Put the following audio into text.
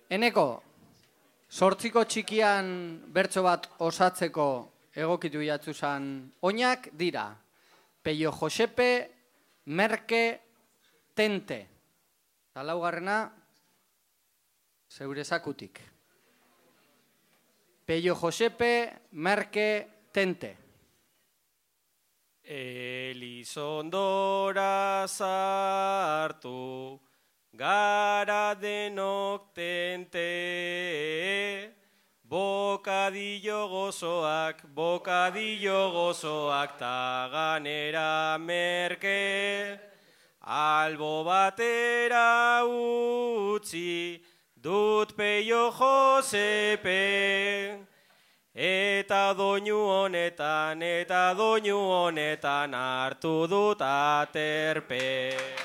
Eneko, sortziko txikian bertso bat osatzeko egokitu jatzuzan oinak dira. Peio Josepe, Merke, Tente. Eta laugarrena, zeure zakutik. Peio Josepe, Merke, Tente. Elizondora sartu, gara denok tente, bokadillo gozoak ta ganera merke, albo batera utzi dut Peio Josepe, eta doinu honetan hartu dut aterpe.